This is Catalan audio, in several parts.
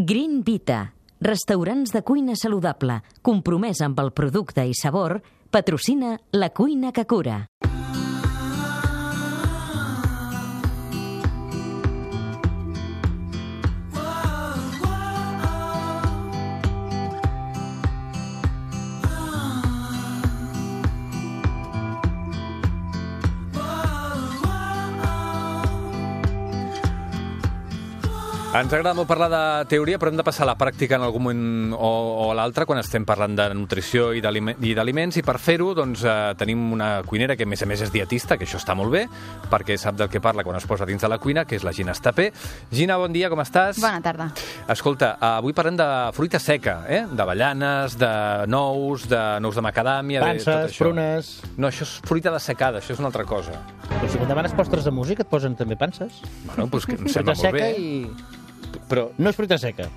Green Vita, restaurants de cuina saludable, compromès amb el producte i sabor, patrocina La Cuina que Cura. Ens agrada molt parlar de teoria, però hem de passar a la pràctica en algun moment o a l'altre quan estem parlant de nutrició i d'aliments, i per fer-ho doncs, tenim una cuinera que a més és dietista, que això està molt bé, perquè sap del que parla quan es posa dins de la cuina, que és la Gina Estapé. Gina, bon dia, com estàs? Bona tarda. Escolta, avui parlem de fruita seca, d'avellanes, de nous de macadàmia... Panses, prunes... No, això és fruita dessecada, això és una altra cosa. Però si quan demanes postres de música et posen també panses? Bueno, doncs que em sembla molt bé. Però no és fruita seca.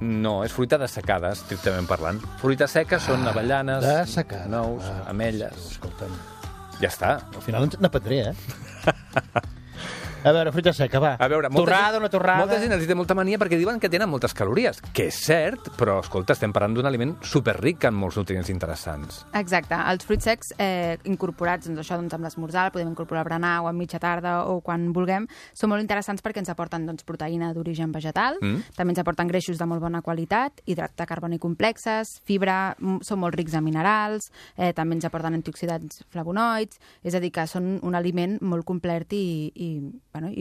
No, és fruita dessecada, estrictament parlant. Fruita seca són avellanes, nous, ametlles... Escolta'm. Ja està. Al final n'aprendré, A veure, fruita seca, va. A veure, torrada o no torrada? Molta gent els té molta mania perquè diuen que tenen moltes calories, que és cert, però, escolta, estem parlant d'un aliment superric en molts nutrients interessants. Exacte. Els fruits secs incorporats, doncs això, amb l'esmorzar, el podem incorporar a berenar o a mitja tarda o quan vulguem, són molt interessants perquè ens aporten proteïna d'origen vegetal, també ens aporten greixos de molt bona qualitat, hidrats de carboni complexes, fibra, són molt rics en minerals, també ens aporten antioxidants flavonoids, és a dir, que són un aliment molt complet i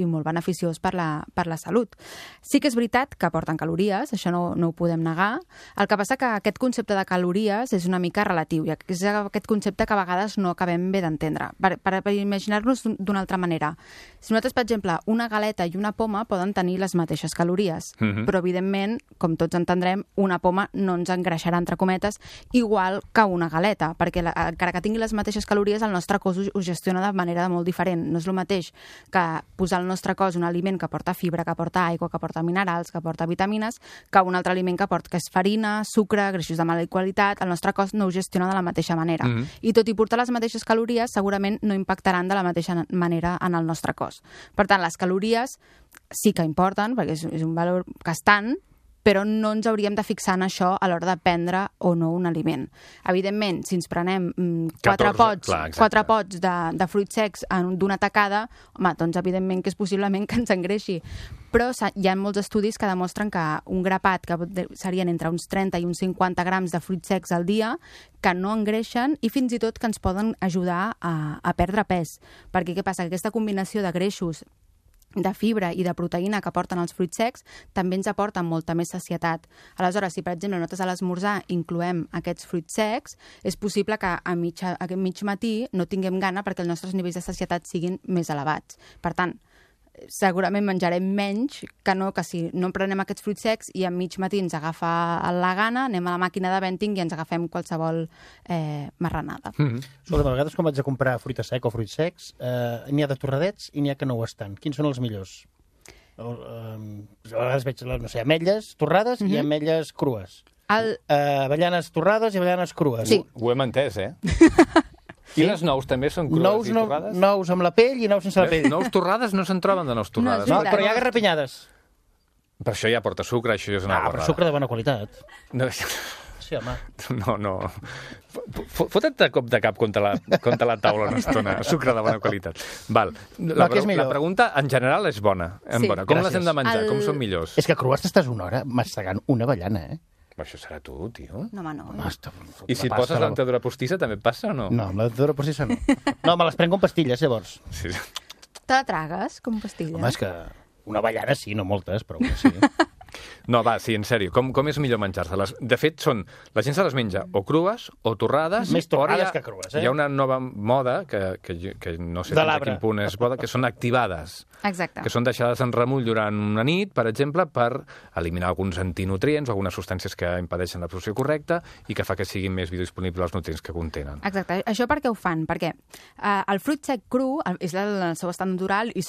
molt beneficiós per la salut. Sí que és veritat que aporten calories, això no ho podem negar. El que passa que aquest concepte de calories és una mica relatiu, i és aquest concepte que a vegades no acabem bé d'entendre. Per imaginar-nos d'una altra manera, si nosaltres, per exemple, una galeta i una poma poden tenir les mateixes calories, però, evidentment, com tots entendrem, una poma no ens engreixarà, entre cometes, igual que una galeta, perquè encara que tingui les mateixes calories, el nostre cos ho gestiona de manera molt diferent. No és el mateix que posar al nostre cos un aliment que porta fibra, que porta aigua, que porta minerals, que porta vitamines, que un altre aliment que és farina, sucre, greixos de mala qualitat. El nostre cos no ho gestiona de la mateixa manera. I tot i portar les mateixes calories, segurament no impactaran de la mateixa manera en el nostre cos. Per tant, les calories sí que importen, perquè és un valor que estan, però no ens hauríem de fixar en això a l'hora de prendre o no un aliment. Evidentment, si ens prenem 4 pots de fruits secs d'una tacada, home, doncs evidentment que és possiblement que ens engreixi. Però hi ha molts estudis que demostren que un grapat, que serien entre uns 30 i uns 50 grams de fruits secs al dia, que no engreixen i fins i tot que ens poden ajudar a perdre pes. Perquè què passa? Que aquesta combinació de greixos, de fibra i de proteïna que aporten els fruits secs també ens aporten molta més sacietat. Aleshores, si per exemple nosaltres a l'esmorzar incloem aquests fruits secs, és possible que a mig matí no tinguem gana perquè els nostres nivells de sacietat siguin més elevats. Per tant, segurament menjarem menys que si no prenem aquests fruits secs i a mig matí ens agafa la gana, anem a la màquina de vending i ens agafem qualsevol marranada. Escolta, a vegades quan vaig a comprar fruita seca o fruits secs, n'hi ha de torradets i n'hi ha que no ho estan. Quins són els millors? A vegades veig, no sé, ametlles torrades i ametlles crues. Avellanes torrades i avellanes crues. Sí. Ho hem entès, I les nous també són crues i torrades? Nous amb la pell i nous sense la pell. Nous torrades no se'n troben de nous torrades. No, però hi ha garrapinyades. Per això ja porta sucre, això és una guarrada. Però sucre de bona qualitat. No. Sí, home. No. Fota't de cop de cap contra la taula una estona. Sucre de bona qualitat. Val. La pregunta, en general, és bona. Com les hem de menjar? Com són millors? És que crues t'estàs una hora mastegant una avellana, Això serà tu, tio. No, home, no. I si poses la dentadura postissa també et passa o no? No, amb la dentadura postissa no. No, me les prenc com pastilles, llavors. Sí. Te la tragues com pastilla? Home, és que una avellana sí, no moltes, però una sí. No, va, sí, en sèrio. Com és millor menjar-se-les? De fet, la gent se les menja o crues o torrades. Més torrades que crues, Hi ha una nova moda, que no sé fins a quin punt és moda, que són activades. Exacte. Que són deixades en remull durant una nit, per exemple, per eliminar alguns antinutrients o algunes substàncies que impedeixen l'absorció correcta i que fa que siguin més biodisponibles els nutrients que contenen. Exacte. Això per què ho fan? Perquè el fruit sec cru és el seu estat natural i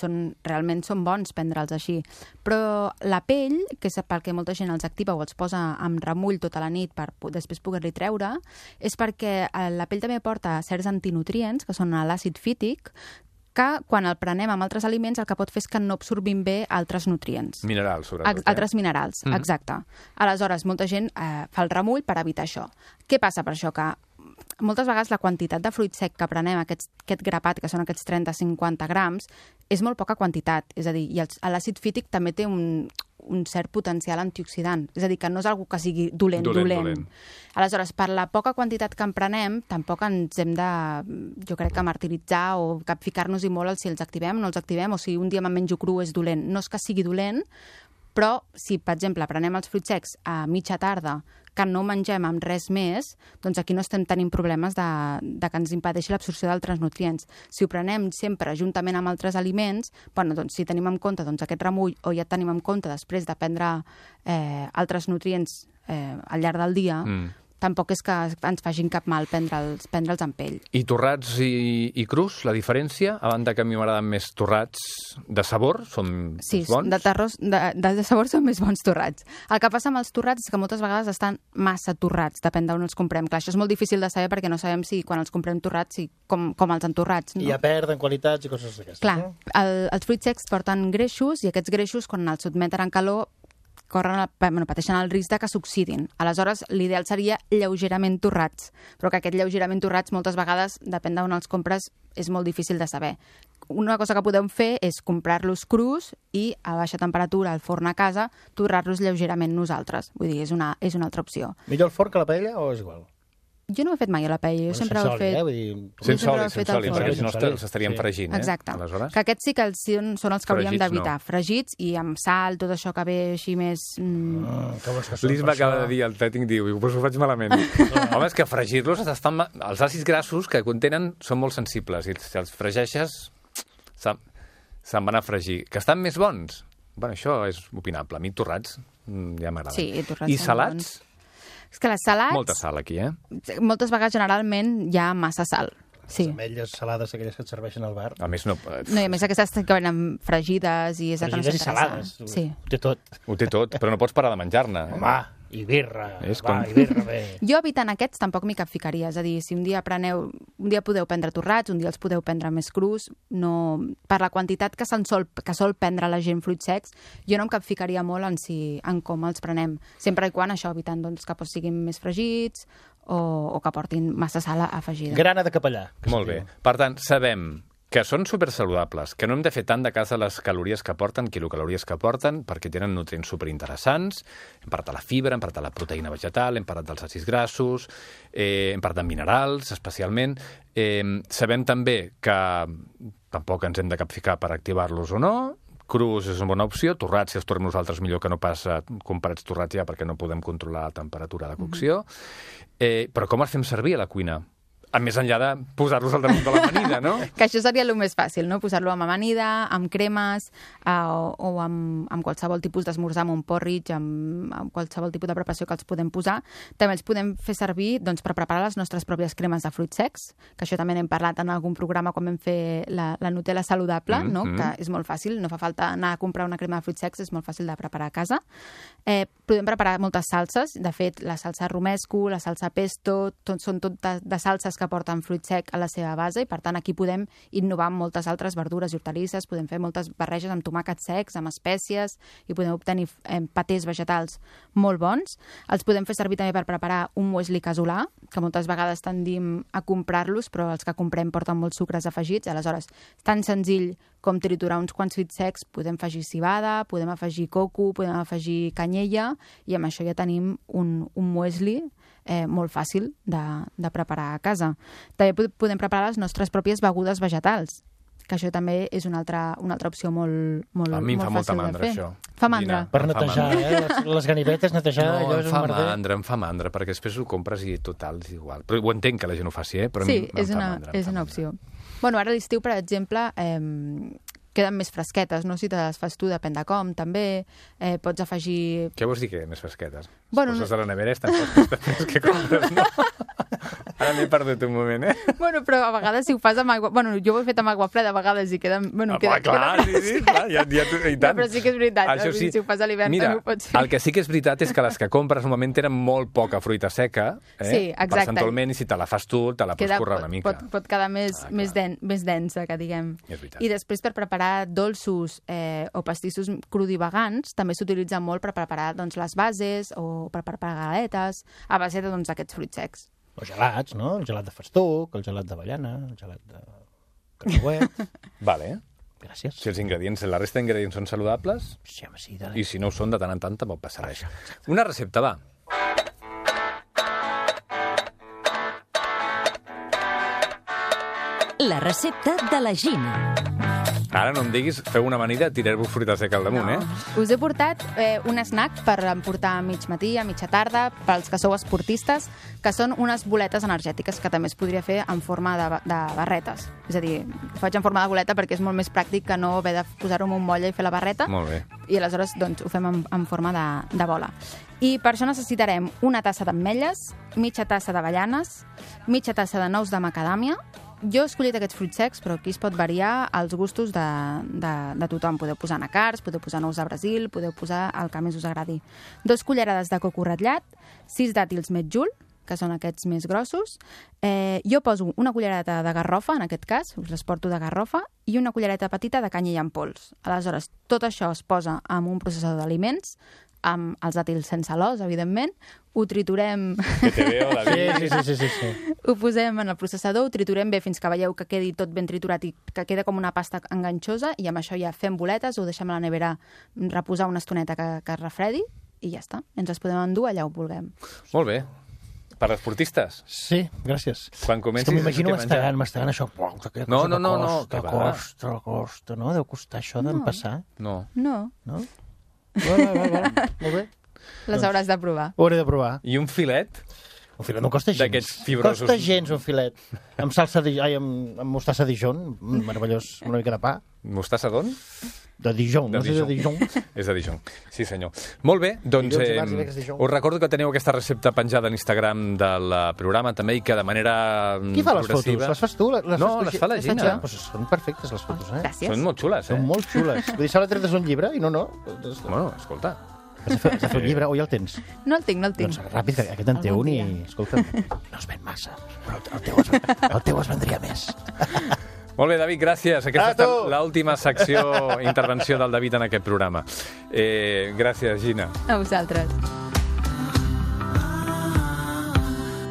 realment són bons prendre'ls així. Però la pell, que és pel que molta gent els activa o els posa en remull tota la nit per després poder-li treure, és perquè la pell també porta certs antinutrients, que són l'àcid fític, que quan el prenem amb altres aliments el que pot fer és que no absorbim bé altres nutrients. Minerals, sobretot. Altres minerals, exacte. Aleshores, molta gent fa el remull per evitar això. Què passa per això? Que moltes vegades la quantitat de fruit sec que prenem, aquest grapat, que són aquests 30-50 grams, és molt poca quantitat. És a dir, i l'àcid fític també té un cert potencial antioxidant. És a dir, que no és algo que sigui dolent. Aleshores, per la poca quantitat que en prenem, tampoc ens hem de, jo crec, que martiritzar o ficar-nos-hi molt si els activem o no els activem, o si un dia me'n menjo cru és dolent. No és que sigui dolent, però si, per exemple, prenem els fruits secs a mitja tarda, que no mengem amb res més, doncs aquí no estem tenint problemes de que ens impedeixi l'absorció d'altres nutrients. Si ho prenem sempre juntament amb altres aliments, bueno, doncs si tenim en compte aquest remull o ja tenim en compte després de prendre altres nutrients al llarg del dia, tampoc és que ens facin cap mal prendre'ls amb pell. I torrats i crus, la diferència? A banda que a mi m'agraden més torrats de sabor, són bons? Sí, de sabor són més bons torrats. El que passa amb els torrats és que moltes vegades estan massa torrats, depèn d'on els comprem. Clar, això és molt difícil de saber perquè no sabem si quan els comprem torrats, com els entorrats. No? I ja perden qualitats i coses d'aquestes. Clar, no? Els fruits secs porten greixos i aquests greixos, quan els sotmeten en calor, pateixen el risc de que s'oxidin. Aleshores, l'ideal seria lleugerament torrats, però que aquest lleugerament torrats moltes vegades, depèn d'on els compres, és molt difícil de saber. Una cosa que podem fer és comprar-los crus i a baixa temperatura al forn a casa, torrar-los lleugerament nosaltres. Vull dir, és una altra opció. Millor el forn que la paella o és igual? Jo no ho he fet mai a la paella, jo sempre ho he fet... Sense oli, perquè si no s'estarien fregint, Exacte. Aleshores? Que aquests sí que són els que hauríem d'evitar. Fregits i amb sal, tot això que ve així més... L'Isma acaba de dir, el tècnic diu, pues ho faig malament. Home, és que fregir-los, els àcids grassos que contenen són molt sensibles i si els fregeixes se'n van a fregir. Que estan més bons? Bueno, això és opinable. A mi torrats ja m'agraden. Sí, torrats. I salats? És que les salats... Molta sal aquí, Moltes vegades, generalment, hi ha massa sal. Sí. Les ametlles salades, aquelles que et serveixen al bar. A més, no... No, i a més aquestes que venen fregides i és el que no s'interessa. Fregides i salades. Sí. Ho té tot. Ho té tot, però no pots parar de menjar-ne. Home, i birra. I birra bé. Jo evitant aquests tampoc m'hi capficaria. És a dir, si un dia podeu prendre torrats, un dia els podeu prendre més crus, no... per la quantitat que sol prendre la gent fruits secs, jo no em capficaria molt en com els prenem. Sempre i quan això, evitant doncs, que siguin més fregits o que portin massa sal afegida. Grana de capellà. Molt bé. Per tant, sabem que són supersaludables, que no hem de fer tant de cas a les calories que porten, quilocalories que porten, perquè tenen nutrients superinteressants. Hem parlat de la fibra, hem parlat de la proteïna vegetal, hem parlat dels àcids grassos, hem parlat de minerals, especialment. Sabem també que tampoc ens hem de capficar per activar-los o no. Crus és una bona opció, torrats, si els tornem nosaltres millor que no pas comparats torrats ja, perquè no podem controlar la temperatura de cocció. Però com els fem servir a la cuina? A més enllà de posar-los al damunt de l'amanida, no? Que això seria el més fàcil, no? Posar-lo amb amanida, amb cremes o amb qualsevol tipus d'esmorzar, amb un porridge, amb qualsevol tipus de preparació que els podem posar. També els podem fer servir doncs, per preparar les nostres pròpies cremes de fruits secs, que això també n'hem parlat en algun programa quan vam fer la Nutella saludable, no? Que és molt fàcil, no fa falta anar a comprar una crema de fruits secs, és molt fàcil de preparar a casa. Podem preparar moltes salses, de fet, la salsa romesco, la salsa pesto, són tot de salses que porten fruit sec a la seva base i, per tant, aquí podem innovar amb moltes altres verdures i hortalisses, podem fer moltes barreges amb tomàquets secs, amb espècies i podem obtenir patés vegetals molt bons. Els podem fer servir també per preparar un muesli casolà, que moltes vegades tendim a comprar-los, però els que comprem porten molts sucres afegits, aleshores, tan senzill com triturar uns quants fruits secs, podem afegir civada, podem afegir coco, podem afegir canyella, i amb això ja tenim un muesli molt fàcil de preparar a casa. També podem preparar les nostres pròpies begudes vegetals, que això també és una altra opció molt fàcil de fer. A mi em fa molta mandra, això. Fa mandra. Per netejar, les ganivetes, netejar... No, em fa mandra, perquè després ho compres i total és igual. Però ho entenc que la gent ho faci, però a mi em fa mandra. Sí, és una opció. Bueno, ara a l'estiu, per exemple, queden més fresquetes, no? Si te les fas tu, depèn de com, també. Pots afegir... Què vols dir que més fresquetes? Bueno, les poses a la nevera estan fresques que compres, no? Ara m'he perdut un moment, Bueno, però a vegades si ho fas amb aigua... Bueno, jo ho he fet amb aigua freda a vegades i queda... Bueno, clar, sí, clar, ja i tant. No, però sí que és veritat, Això sí. si ho fas a l'hivern Mira, també ho pots fer. el que sí que és veritat és que les que compres normalment tenen molt poca fruita seca, Sí, exacte. percentualment, i si te la fas tu, te la pots currar una mica. Pot quedar més densa, que diguem. És veritat. I després, per preparar dolços o pastissos crudivagants, també s'utilitza molt per preparar doncs, les bases o per preparar galetes a base d'aquests fruits secs. O gelats, no? El gelat de festuc, el gelat d'avellana, el gelat de cacauet... Vale. Gràcies. Si la resta d'ingredients són saludables, Sí, home, sí, dale. i si no ho són, de tant en tant tampoc passa res. Una recepta, va. La recepta de la Gina. Ara no em diguis, feu una amanida de tirar-vos fruita seca al damunt, Us he portat un snack per emportar a mig matí, a mitja tarda, pels que sou esportistes, que són unes boletes energètiques que també es podria fer en forma de barretes. És a dir, ho faig en forma de boleta perquè és molt més pràctic que no haver de posar-ho en un molla i fer la barreta. Molt bé. I aleshores doncs, ho fem en forma de bola. I per això necessitarem una tassa d'ametlles, mitja tassa d'avellanes, mitja tassa de nous de macadàmia. Jo he escollit aquests fruits secs, però aquí es pot variar als gustos de tothom. Podeu posar anacards, podeu posar nous de Brasil, podeu posar el que més us agradi. 2 cullerades de coco ratllat, 6 dàtils metjul, que són aquests més grossos. Jo poso una cullereta de garrofa, en aquest cas, us les porto de garrofa, i una cullereta petita de canyella en pols. Aleshores, tot això es posa en un processador d'aliments, amb els dàtils sense l'os, evidentment, ho triturem... Que te veo, David. Sí. Ho posem en el processador, ho triturem bé fins que veieu que quedi tot ben triturat i que queda com una pasta enganxosa, i amb això ja fem boletes, ho deixem a la nevera reposar una estoneta que es refredi, i ja està. Ens les podem endur allà on vulguem. Molt bé. Per esportistes? Sí, gràcies. Quan comencis... És que m'imagino mastegant això. No. Costa, no? Deu costar això d'empassar. No. No, No? Va. Molt bé. les hauràs de provar. Ho hauré de provar. I un filet? Un filet no costa gens. D'aquests fibrosos. Costa gens un filet. Amb salsa amb mostassa Dijon, meravellós, una mica de pa. Mostassa d'on? De Dijon, no sé de Dijon. És de Dijon, sí senyor. Molt bé, doncs Dilluns i dimarts, dimecres, Dijon. us recordo que teniu aquesta recepta penjada a l'Instagram del programa també i que de manera Qui fa les progressiva... fotos? Les fas tu? No, les fa la Gina. jo. Pues són perfectes les fotos, eh? Gràcies. Són molt xules, Són molt xules. Vull dir, s'ha de treure un llibre i no. Bueno, escolta. Has de fer un llibre, o ja el tens? No el tinc. Doncs ràpid, que aquest en té un i, escolta, no es ven massa, però el teu es vendria més. Molt bé, David, gràcies. Aquesta ha estat l'última intervenció del David en aquest programa. Gràcies, Gina. A vosaltres.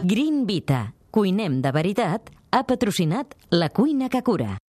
Green Vita, cuinem de veritat, ha patrocinat La Cuina que Cura.